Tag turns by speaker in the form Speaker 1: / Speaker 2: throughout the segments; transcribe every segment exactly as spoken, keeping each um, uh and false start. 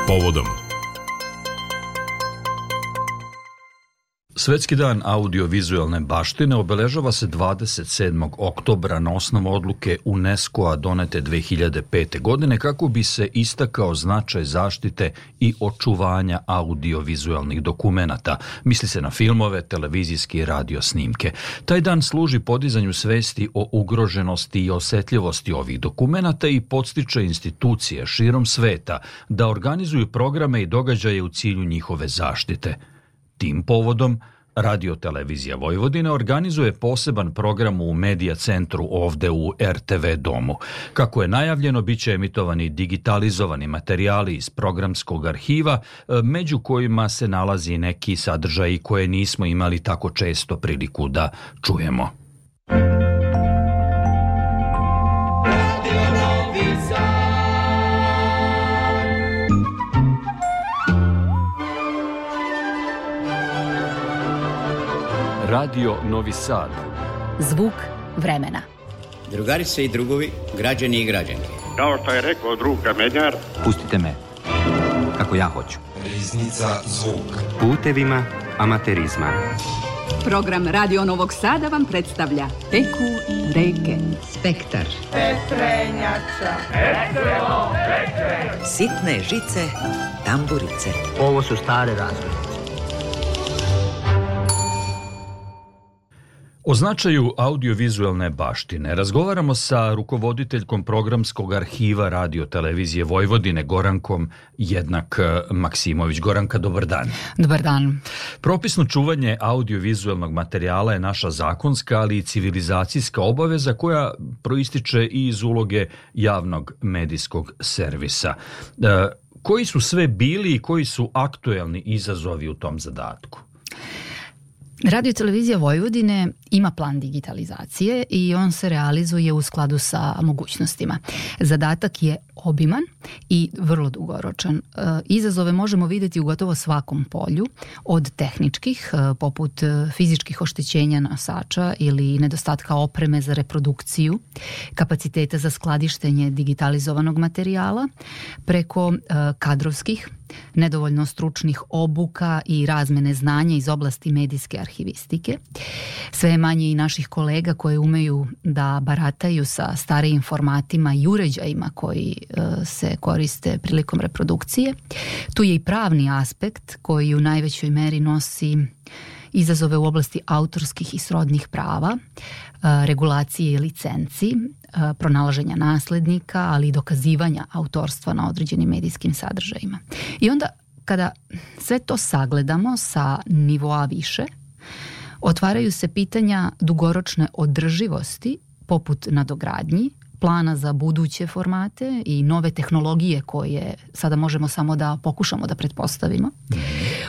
Speaker 1: povodom.
Speaker 2: Svetski dan audiovizualne baštine obeležava se dvadeset sedmog oktobra na osnovu odluke UNESCO-a donete dve hiljade pete. godine kako bi se istakao značaj zaštite i očuvanja audiovizualnih dokumenata. Misli se na filmove, televizijske i radio snimke. Taj dan služi podizanju svesti o ugroženosti i osetljivosti ovih dokumenata i podstiče institucije širom sveta da organizuju programe i događaje u cilju njihove zaštite. Tim povodom, Radio Televizija Vojvodine organizuje poseban program u Medija centru ovde u er te ve domu. Kako je najavljeno, bit će emitovani digitalizovani materijali iz programskog arhiva, među kojima se nalazi neki sadržaji koje nismo imali tako često priliku da čujemo. Radio Novi Sad.
Speaker 3: Zvuk vremena.
Speaker 4: Drugarice i drugovi, građani i građanke.
Speaker 5: Kao što je rekao drug Kamenjar,
Speaker 6: pustite me kako ja hoću.
Speaker 7: Riznica zvuk.
Speaker 6: Putevima amaterizma.
Speaker 8: Program Radio Novog Sada vam predstavlja Teku reke. Spektar.
Speaker 9: Petrenjača. Estremo, petre.
Speaker 10: Sitne žice, tamburice.
Speaker 11: Ovo su stare razglednice.
Speaker 2: O značaju audiovizualne baštine razgovaramo sa rukovoditeljkom programskog arhiva Radio Televizije Vojvodine, Gorankom Jednak Maksimović. Goranka, dobar dan.
Speaker 3: Dobar dan.
Speaker 2: Propisno čuvanje audiovizualnog materijala je naša zakonska, ali i civilizacijska obaveza koja proističe i iz uloge javnog medijskog servisa. E, koji su sve bili i koji su aktuelni izazovi u tom zadatku?
Speaker 3: Radio Televizija Vojvodine ima plan digitalizacije i on se realizuje u skladu sa mogućnostima. Zadatak je obiman i vrlo dugoročan. Izazove možemo vidjeti u gotovo svakom polju, od tehničkih, poput fizičkih oštećenja nosača ili nedostatka opreme za reprodukciju, kapaciteta za skladištenje digitalizovanog materijala, preko kadrovskih, nedovoljno stručnih obuka i razmene znanja iz oblasti medijske arhivistike. Sve je manje i naših kolega koji umeju da barataju sa starijim formatima i uređajima koji e, se koriste prilikom reprodukcije. Tu je i pravni aspekt koji u najvećoj meri nosi izazove u oblasti autorskih i srodnih prava, e, regulacije i licenci, e, pronalaženja naslednika, ali i dokazivanja autorstva na određenim medijskim sadržajima. I onda kada sve to sagledamo sa nivoa više, otvaraju se pitanja dugoročne održivosti poput nadogradnji, plana za buduće formate i nove tehnologije koje sada možemo samo da pokušamo da pretpostavimo,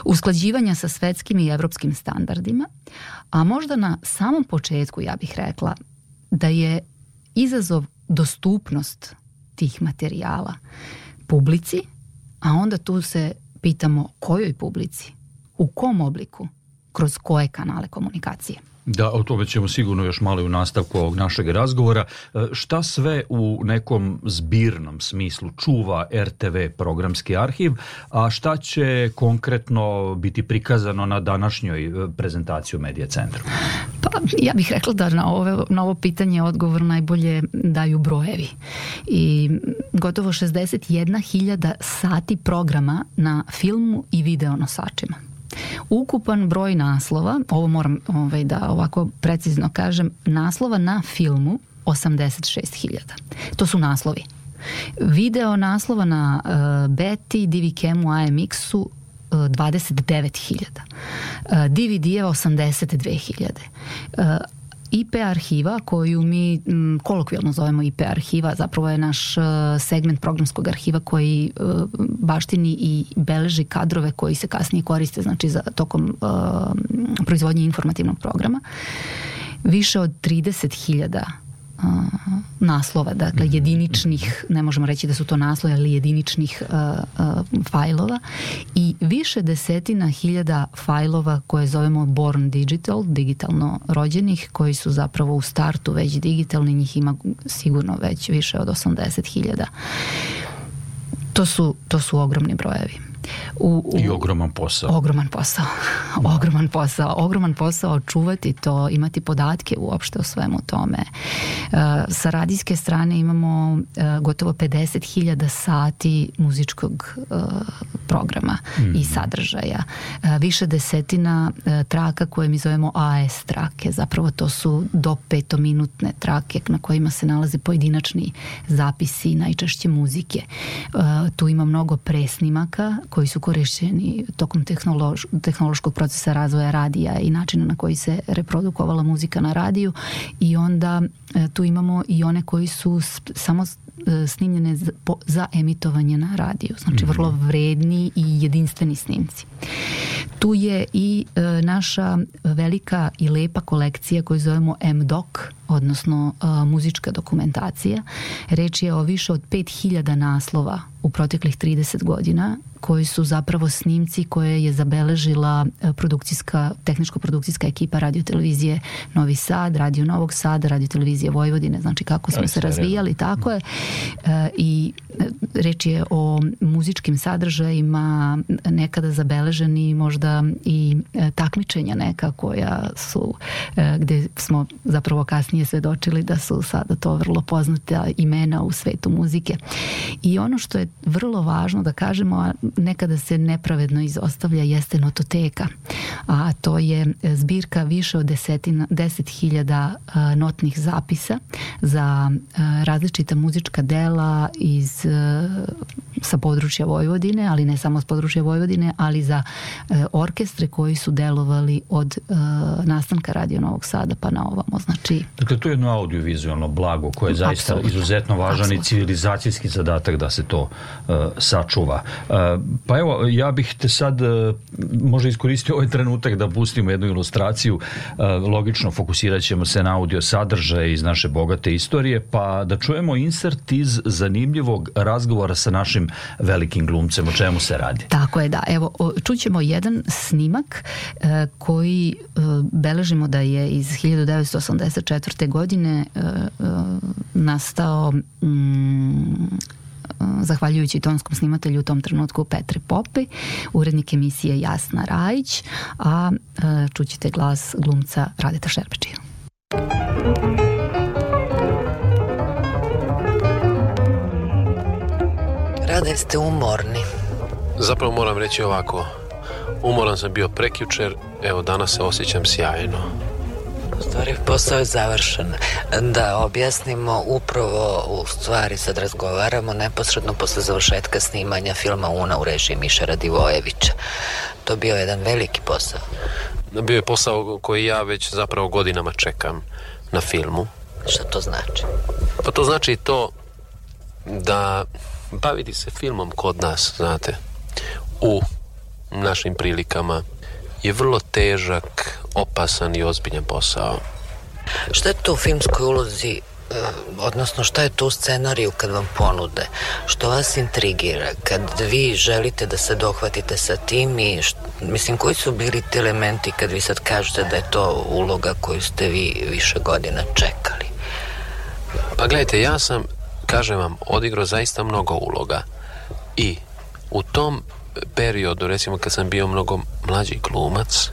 Speaker 3: usklađivanja sa svetskim i evropskim standardima, a možda na samom početku ja bih rekla da je izazov dostupnost tih materijala publici, a onda tu se pitamo kojoj publici, u kom obliku, kroz koje kanale komunikacije.
Speaker 2: Da, o tome ćemo sigurno još malo u nastavku ovog našeg razgovora. Šta sve u nekom zbirnom smislu čuva er te ve programski arhiv, a šta će konkretno biti prikazano na današnjoj prezentaciji u Medija centru?
Speaker 3: Pa ja bih rekla da na, ove, na ovo pitanje odgovor najbolje daju brojevi. I gotovo šezdeset jedna hiljada sati programa na filmu i video nosačima. Ukupan broj naslova, ovo moram ovaj, da ovako precizno kažem, naslova na filmu osamdeset šest hiljada. To su naslovi. Video naslova na uh, Beti, D V Cam-u, A M X-u uh, dvadeset devet hiljada. Uh, D V D-eva osamdeset dve hiljade. Uh, I P arhiva, koju mi m, kolokvijalno zovemo I P arhiva, zapravo je naš uh, segment programskog arhiva koji uh, baštini i beleži kadrove koji se kasnije koriste, znači za tokom uh, proizvodnje informativnog programa. Više od trideset hiljada uh, naslova, dakle jediničnih, ne možemo reći da su to naslovi, ali jediničnih uh, uh, fajlova i više desetina hiljada fajlova koje zovemo born digital, digitalno rođenih, koji su zapravo u startu već digitalni, njih ima sigurno već više od osamdeset hiljada. To su, to su ogromni brojevi. U, u,
Speaker 2: I ogroman posao.
Speaker 3: Ogroman posao. Ogroman posao. Ogroman posao čuvati to, imati podatke uopšte o svemu tome. Uh, sa radijske strane imamo uh, gotovo pedeset hiljada sati muzičkog uh, programa mm. i sadržaja. Uh, više desetina uh, traka koje mi zovemo A S trake. Zapravo to su do petominutne trake na kojima se nalaze pojedinačni zapisi, najčešće muzike. Uh, tu ima mnogo presnimaka koji su korišćeni tokom tehnološ, tehnološkog procesa razvoja radija i načina na koji se reprodukovala muzika na radiju, i onda e, tu imamo i one koji su sp, samo e, snimljene za, po, za emitovanje na radiju, znači mm-hmm. vrlo vredni i jedinstveni snimci. Tu je i e, naša velika i lepa kolekcija koju zovemo M D O C, odnosno e, muzička dokumentacija. Reč je o više od pet hiljada naslova u proteklih trideset godina, koji su zapravo snimci koje je zabeležila produkcijska, tehničko-produkcijska ekipa radiotelevizije Novi Sad, Radio Novog Sada, radiotelevizije Vojvodine, znači kako smo se razvijali, tako je. E, I reč je o muzičkim sadržajima, nekada zabeleženi možda i takmičenja neka koja su, e, gde smo zapravo kasnije svedočili da su sada to vrlo poznata imena u svetu muzike. I ono što je vrlo važno da kažemo, a nekada se nepravedno izostavlja, jeste nototeka, a to je zbirka više od desetina, deset hiljada uh, notnih zapisa za uh, različita muzička dela iz, uh, sa područja Vojvodine, ali ne samo s područja Vojvodine, ali za uh, orkestre koji su delovali od uh, nastanka Radio Novog Sada pa na ovamo. Znači,
Speaker 2: dakle, to je jedno audiovizualno blago koje je zaista Absolutno. izuzetno važan Absolutno. i civilizacijski zadatak da se to uh, sačuva. Uh, pa evo, ja bih te sad uh, možda iskoristio ovaj trenutak da pustimo jednu ilustraciju. Uh, logično fokusirat ćemo se na audio sadržaje iz naše bogate istorije, pa da čujemo insert iz zanimljivog razgovora sa našim velikim glumcem. O čemu se radi?
Speaker 3: Tako je, da. Evo, čućemo jedan snimak uh, koji uh, beležimo da je iz hiljadu devetsto osamdeset četvrte. godine uh, uh, nastao um, zahvaljujući tonskom snimatelju u tom trenutku Petri Popej, urednik emisije Jasna Rajić, a uh, čućete glas glumca Radeta Šerbeđija.
Speaker 10: Rade, ste umorni.
Speaker 1: Zapravo moram reći ovako. Umoran sam bio prekjučer, evo danas se osjećam sjajno.
Speaker 10: U stvari, posao je završen. Da objasnimo, upravo u stvari sad razgovaramo neposredno posle završetka snimanja filma Una u režiji Miše Radivojevića. To je bio jedan veliki posao.
Speaker 1: Bio je posao koji ja već zapravo godinama čekam na filmu.
Speaker 10: Šta to znači?
Speaker 1: Pa to znači to da baviti se filmom kod nas, znate, u našim prilikama je vrlo težak, opasan i ozbiljan posao.
Speaker 10: Šta je to u filmskoj ulozi, odnosno šta je to u scenariju kad vam ponude? Što vas intrigira kad vi želite da se dohvatite sa tim i št, mislim, koji su bili ti elementi kad vi sad kažete da je to uloga koju ste vi više godina čekali?
Speaker 1: Pa gledajte, ja sam, kažem vam, odigrao zaista mnogo uloga i u tom periodu, recimo kad sam bio mnogo mlađi glumac,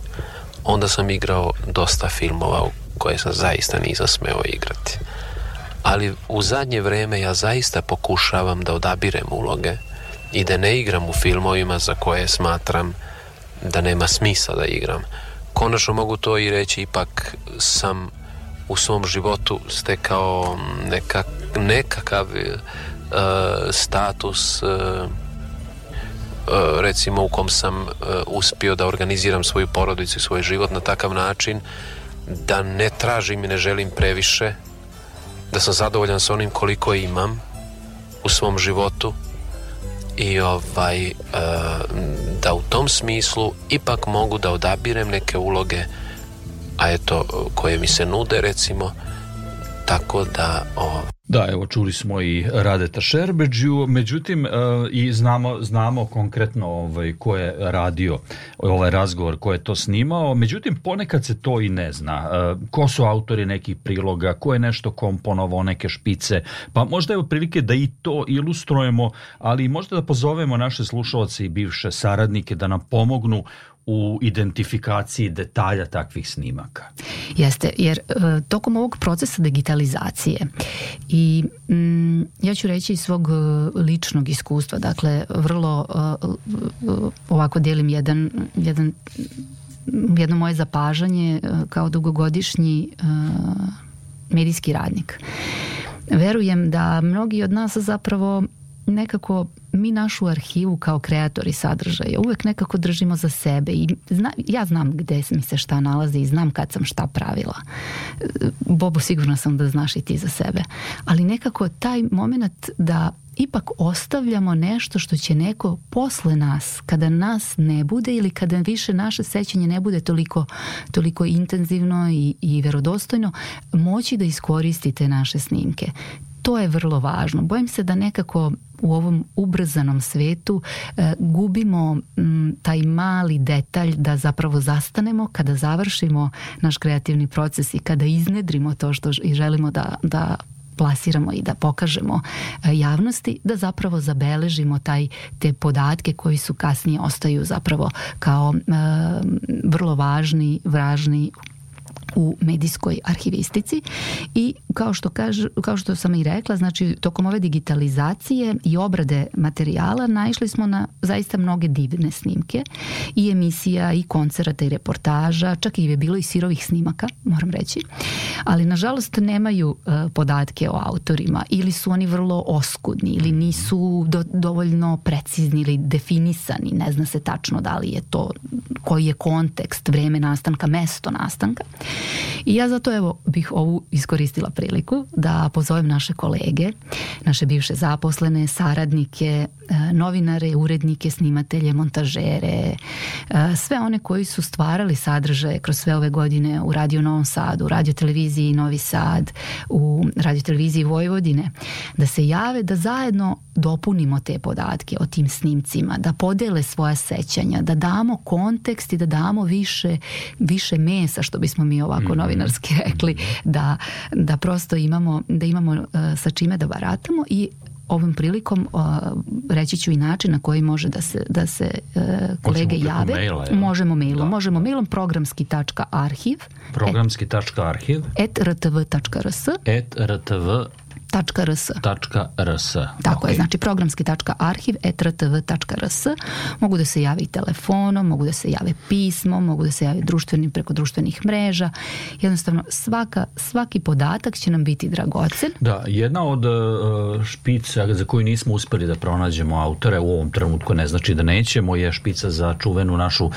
Speaker 1: onda sam igrao dosta filmova u koje sam zaista nisam smeo igrati. Ali u zadnje vreme ja zaista pokušavam da odabirem uloge i da ne igram u filmovima za koje smatram da nema smisla da igram. Konačno mogu to i reći, ipak sam u svom životu stekao nekak, nekakav uh, status uh, recimo u kom sam uh, uspio da organiziram svoju porodicu i svoj život na takav način da ne tražim i ne želim previše, da sam zadovoljan sa onim koliko imam u svom životu i ovaj uh, da u tom smislu ipak mogu da odabirem neke uloge, a eto koje mi se nude, recimo, tako da o...
Speaker 2: Da, evo čuli smo i Radeta Šerbedžiju, međutim i znamo, znamo konkretno ovaj, ko je radio ovaj razgovor, ko je to snimao, međutim ponekad se to i ne zna. Ko su autori nekih priloga, ko je nešto komponovao, neke špice, pa možda je prilike da i to ilustrujemo, ali možda da pozovemo naše slušalce i bivše saradnike da nam pomognu u identifikaciji detalja takvih snimaka.
Speaker 3: Jeste, jer e, tokom ovog procesa digitalizacije i mm, ja ću reći iz svog ličnog iskustva, dakle vrlo e, ovako dijelim jedan, jedan jedno moje zapažanje e, kao dugogodišnji e, medijski radnik. Verujem da mnogi od nas zapravo nekako mi našu arhivu kao kreatori sadržaja uvek nekako držimo za sebe i zna, ja znam gde mi se šta nalazi i znam kad sam šta pravila. Bobo, sigurno sam da znaš i ti za sebe. Ali nekako taj moment da ipak ostavljamo nešto što će neko posle nas, kada nas ne bude ili kada više naše sećanje ne bude toliko, toliko intenzivno i, i verodostojno, moći da iskoristi te naše snimke. To je vrlo važno. Bojim se da nekako u ovom ubrzanom svetu e, gubimo m, taj mali detalj da zapravo zastanemo kada završimo naš kreativni proces i kada iznedrimo to što i želimo da, da plasiramo i da pokažemo e, javnosti, da zapravo zabeležimo taj, te podatke koji su kasnije ostaju zapravo kao e, vrlo važni, važni u medijskoj arhivistici i kao što, kažu, kao što sam i rekla, znači tokom ove digitalizacije i obrade materijala naišli smo na zaista mnoge divne snimke i emisija i koncerata i reportaža, čak i je bilo i sirovih snimaka, moram reći, ali nažalost nemaju uh, podatke o autorima ili su oni vrlo oskudni ili nisu do, dovoljno precizni ili definisani, ne zna se tačno da li je to, koji je kontekst, vreme nastanka, mesto nastanka. I ja zato evo bih ovu iskoristila priliku da pozovem naše kolege, naše bivše zaposlene, saradnike, novinare, urednike, snimatelje, montažere, sve one koji su stvarali sadržaje kroz sve ove godine u Radio Novom Sadu, u Radio televiziji Novi Sad, u Radio televiziji Vojvodine, da se jave, da zajedno dopunimo te podatke o tim snimcima, da podele svoja sećanja, da damo kontekst i da damo više, više mesa, što bismo mi ovako novinarski rekli, da, da prosto imamo, da imamo uh, sa čime da baratamo i ovom prilikom uh, reći ću i način na koji može da se, da se uh, kolege jave. Maila, ja. Možemo mailom. Da. Možemo mailom programski tačka arhiv
Speaker 2: programski tačka arhiv
Speaker 3: et r t v tačka r s
Speaker 2: et r t v
Speaker 3: tačka r s.
Speaker 2: Tačka r s.
Speaker 3: Tako okay. je, znači programski tačka arhiv et r t v tačka r s. Mogu da se javi telefonom, mogu da se jave pismom, mogu da se jave društvenim preko društvenih mreža. Jednostavno svaka, svaki podatak će nam biti dragocen.
Speaker 2: Da, jedna od uh, špica za koju nismo uspeli da pronađemo autore u ovom trenutku, ne znači da nećemo, je špica za čuvenu našu uh,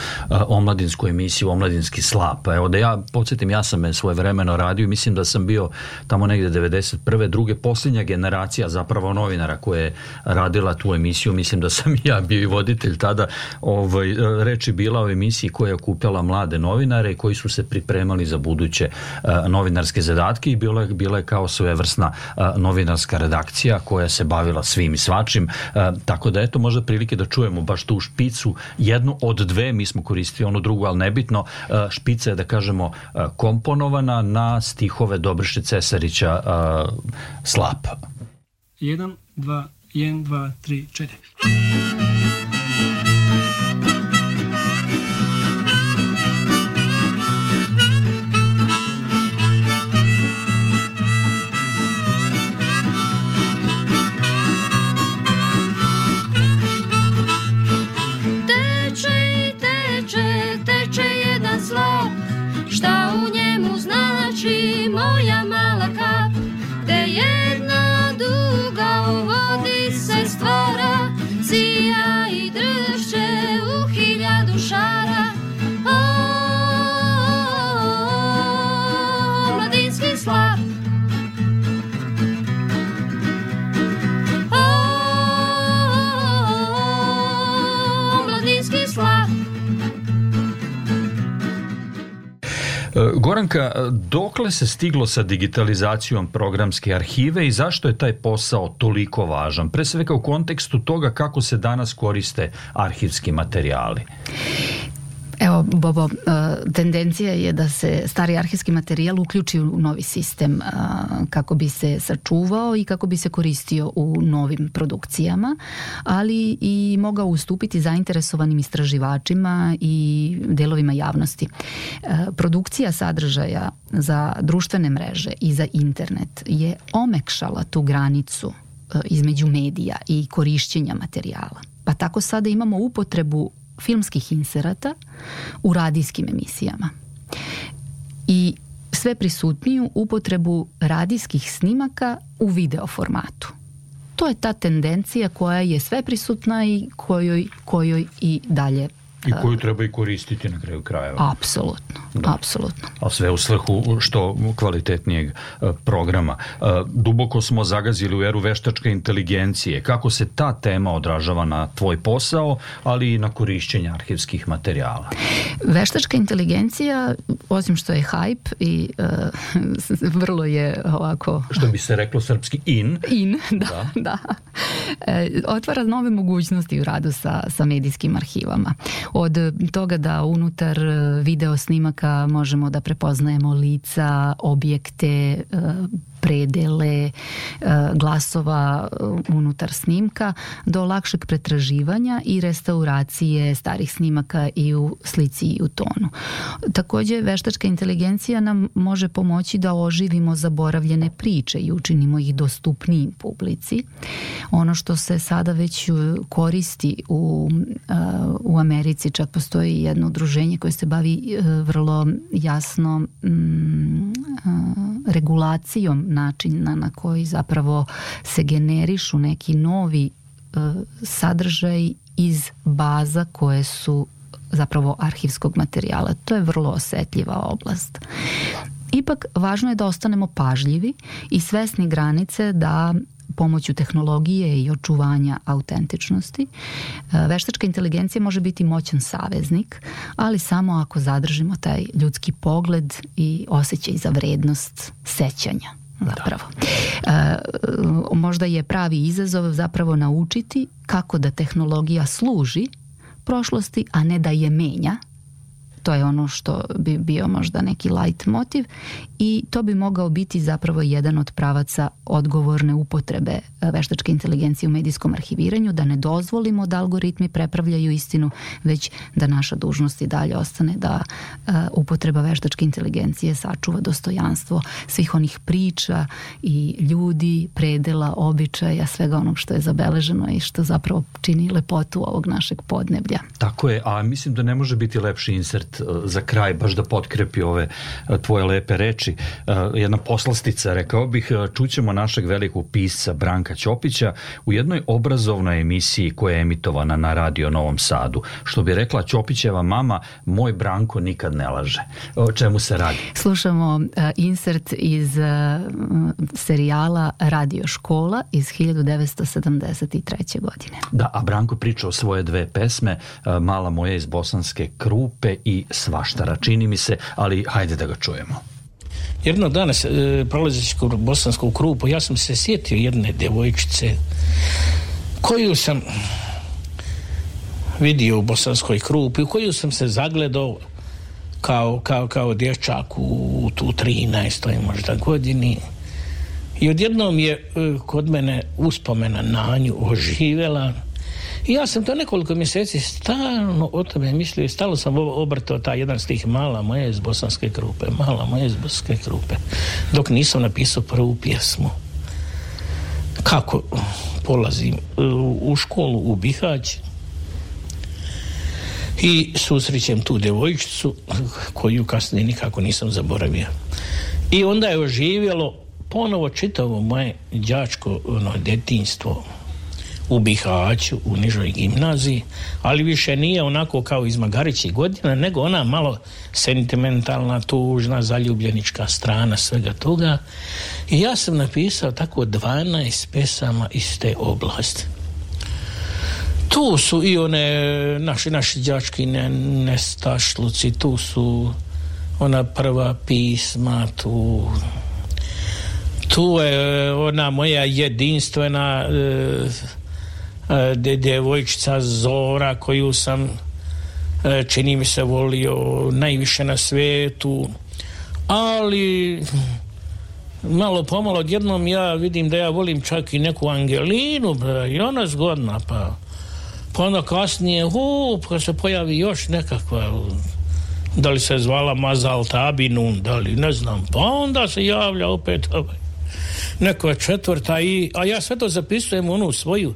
Speaker 2: omladinsku emisiju Omladinski slap. Evo da ja podsjetim, ja sam je svoje vremeno radio i mislim da sam bio tamo negde devedeset prve druge posljednja generacija zapravo novinara koja je radila tu emisiju, mislim da sam ja bio i voditelj tada. Ovaj, reč je bila o emisiji koja je okupljala mlade novinare koji su se pripremali za buduće uh, novinarske zadatke i bila je, bila je kao svojevrsna uh, novinarska redakcija koja se bavila svim i svačim, uh, tako da eto možda prilike da čujemo baš tu špicu, jednu od dve, mi smo koristili onu drugu, ali nebitno, uh, špica je da kažemo uh, komponovana na stihove Dobriše Cesarića uh, Slap.
Speaker 12: Jedan, dva, jedan, dva, tri, četiri.
Speaker 13: Teče i teče, teče jedan slap, šta u njemu znači moja mala kap, gde jedna duga u vodi se stvara, sija
Speaker 2: Goranka, dokle se stiglo sa digitalizacijom programske arhive i zašto je taj posao toliko važan? Pre svega u kontekstu toga kako se danas koriste arhivski materijali.
Speaker 3: Evo, Bobo, tendencija je da se stari arhivski materijal uključi u novi sistem kako bi se sačuvao i kako bi se koristio u novim produkcijama, ali i mogao ustupiti zainteresovanim istraživačima i delovima javnosti. Produkcija sadržaja za društvene mreže i za internet je omekšala tu granicu između medija i korišćenja materijala. Pa tako sada imamo upotrebu filmskih inserata u radijskim emisijama i sve prisutniju upotrebu radijskih snimaka u video formatu. To je ta tendencija koja je sve prisutna i kojoj, kojoj i dalje
Speaker 2: i koju treba i koristiti na kraju krajeva.
Speaker 3: Apsolutno, da. apsolutno.
Speaker 2: A sve u svrhu što kvalitetnijeg programa. Duboko smo zagazili u eru veštačke inteligencije. Kako se ta tema odražava na tvoj posao, ali i na korišćenje arhivskih materijala?
Speaker 3: Veštačka inteligencija, osim što je hype i uh, vrlo je ovako...
Speaker 2: Što bi se reklo srpski in.
Speaker 3: In, da, da. da. E, otvara nove mogućnosti u radu sa, sa medijskim arhivama. Od toga da unutar video snimaka možemo da prepoznajemo lica, objekte, predele, glasova unutar snimka, do lakšeg pretraživanja i restauracije starih snimaka i u slici i u tonu. Također, veštačka inteligencija nam može pomoći da oživimo zaboravljene priče i učinimo ih dostupnijim publici. Ono što se sada već koristi u, u Americi, čak postoji jedno udruženje koje se bavi vrlo jasno mm, regulacijom načina na koji zapravo se generišu neki novi uh, sadržaj iz baza koje su zapravo arhivskog materijala. To je vrlo osetljiva oblast. Ipak, važno je da ostanemo pažljivi i svesni granice da pomoću tehnologije i očuvanja autentičnosti veštačka inteligencija može biti moćan saveznik, ali samo ako zadržimo taj ljudski pogled i osjećaj za vrednost sećanja. Zapravo. E, možda je pravi izazov zapravo naučiti kako da tehnologija služi prošlosti, a ne da je menja. To je ono što bi bio možda neki light motiv i to bi mogao biti zapravo jedan od pravaca odgovorne upotrebe veštačke inteligencije u medijskom arhiviranju, da ne dozvolimo da algoritmi prepravljaju istinu, već da naša dužnost i dalje ostane da uh, upotreba veštačke inteligencije sačuva dostojanstvo svih onih priča i ljudi, predela, običaja, svega onog što je zabeleženo i što zapravo čini lepotu ovog našeg podneblja.
Speaker 2: Tako je, a mislim da ne može biti lepši insert za kraj, baš da potkrepi ove tvoje lepe reči. Jedna poslastica, rekao bih, čućemo našeg velikog pisca Branka Ćopića u jednoj obrazovnoj emisiji koja je emitovana na Radio Novom Sadu. Što bi rekla Ćopićeva mama, moj Branko nikad ne laže. O čemu se radi?
Speaker 3: Slušamo uh, insert iz uh, serijala Radio škola iz hiljadu devetsto sedamdeset treće. godine.
Speaker 2: Da, a Branko priča o svoje dve pesme, uh, Mala moja iz Bosanske Krupe i Svaštara, čini mi se, ali hajde da ga čujemo.
Speaker 14: Jednog dana, e, prolazeći kroz Bosansku Krupu, ja sam se sjetio jedne devojčice koju sam vidio u Bosanskoj Krupi, u koju sam se zagledao kao, kao, kao dječak u, u tu trinaestoj možda godini. I odjednom je e, kod mene uspomena na nju oživjela. I ja sam to nekoliko mjeseci stalno o tome mislio i stalno sam obrtao taj jedan stih Mala moja iz Bosanske Krupe, Mala moja iz Bosanske Krupe, dok nisam napisao prvu pjesmu. Kako polazim u školu u Bihać i susrećem tu devojčicu koju kasnije nikako nisam zaboravio. I onda je oživjelo ponovo čitavo moje đačko ono, detinjstvo u Bihaću, u nižoj gimnaziji, ali više nije onako kao iz Magarićih godina, nego ona malo sentimentalna, tužna, zaljubljenička strana svega toga. I ja sam napisao tako dvanaest pesama iz te oblasti. Tu su i one naši, naši đački ne, nestašluci, tu su ona prva pisma, tu tu je ona moja jedinstvena e, e, djevojčica Zora, koju sam e, čini mi se volio najviše na svijetu, ali malo pomalo odjednom ja vidim da ja volim čak i neku Angelinu, i ona zgodna, pa pa onda kasnije hu, pa se pojavi još nekakva, da li se zvala Mazal Tabinun, da li ne znam, pa onda se javlja opet ovaj, neka četvrta, i, a ja sve to zapisujem u onu svoju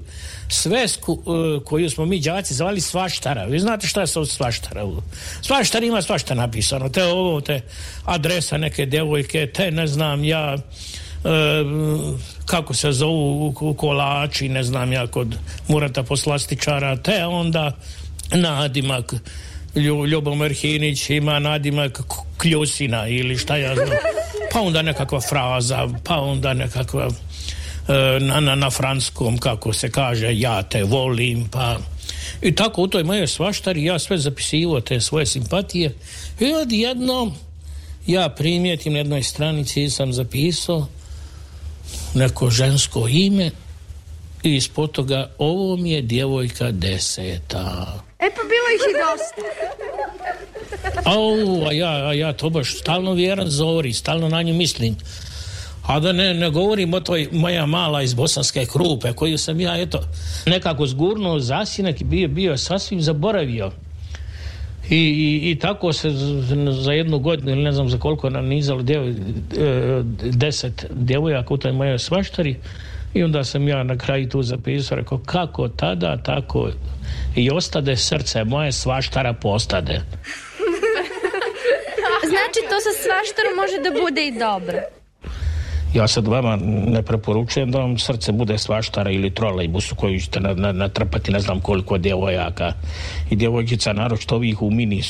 Speaker 14: svesku uh, koju smo mi đaci zvali svaštara. Vi znate šta je sa svaštara? Svaštar ima svašta napisano, te ovo, te adresa neke djevojke, te ne znam ja uh, kako se zovu kolači, ne znam ja, kod Murata Poslastičara, te onda nadimak Ljubomir Hinić ima nadimak Kljusina ili šta ja znam, pa onda nekakva fraza, pa onda nekakva na, na, na franskom kako se kaže ja te volim, pa i tako u toj moje svaštari ja sve zapisivo te svoje simpatije i odjednom ja primijetim na jednoj stranici sam zapisao neko žensko ime i ispod toga ovo mi je djevojka deseta.
Speaker 15: E pa bilo ih i dosta.
Speaker 14: Au, a ja, a ja to baš stalno vjeran Zori, stalno na nju mislim. A da ne, ne govorim o toj moja mala iz Bosanske Krupe, koju sam ja, eto, nekako zgurnuo zasinak i bio, bio sasvim zaboravio. I, i, i tako se za jednu godinu, ili ne znam za koliko nam nizalo djev, deset djevojaka u toj mojoj svaštari. I onda sam ja na kraju tu zapisao, rekao, kako tada, tako i ostade srce moje, svaštara postade.
Speaker 15: Znači, to sa svaštarom može da bude i dobro.
Speaker 14: Ja sad vama ne preporučujem da vam srce bude svaštara ili trolejbus u koju ćete natrpati ne znam koliko djevojaka i djevojčica, naročito ovih u mini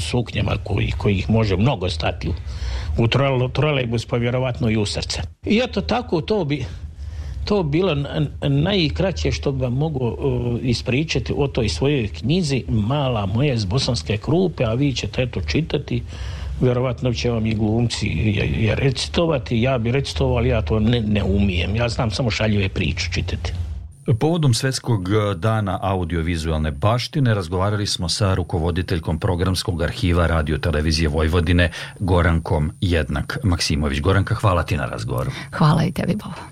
Speaker 14: suknjama koji, kojih može mnogo stati u trolejbus, pa vjerovatno i u srce. I eto tako to bi to bilo najkraće što bi vam mogu uh, ispričati o toj svojoj knjizi Mala moja iz Bosanske Krupe, a vi ćete eto čitati, vjerovatno će vam i glumci je, je recitovati, ja bi recitovao, ali ja to ne, ne umijem, ja znam samo šaljive priče čitati.
Speaker 2: Povodom Svetskog dana audiovizualne baštine razgovarali smo sa rukovoditeljkom programskog arhiva Radio Televizije Vojvodine Gorankom Jednak Maksimović. Goranka, hvala ti na razgovoru.
Speaker 3: Hvala i tebi, Bobo.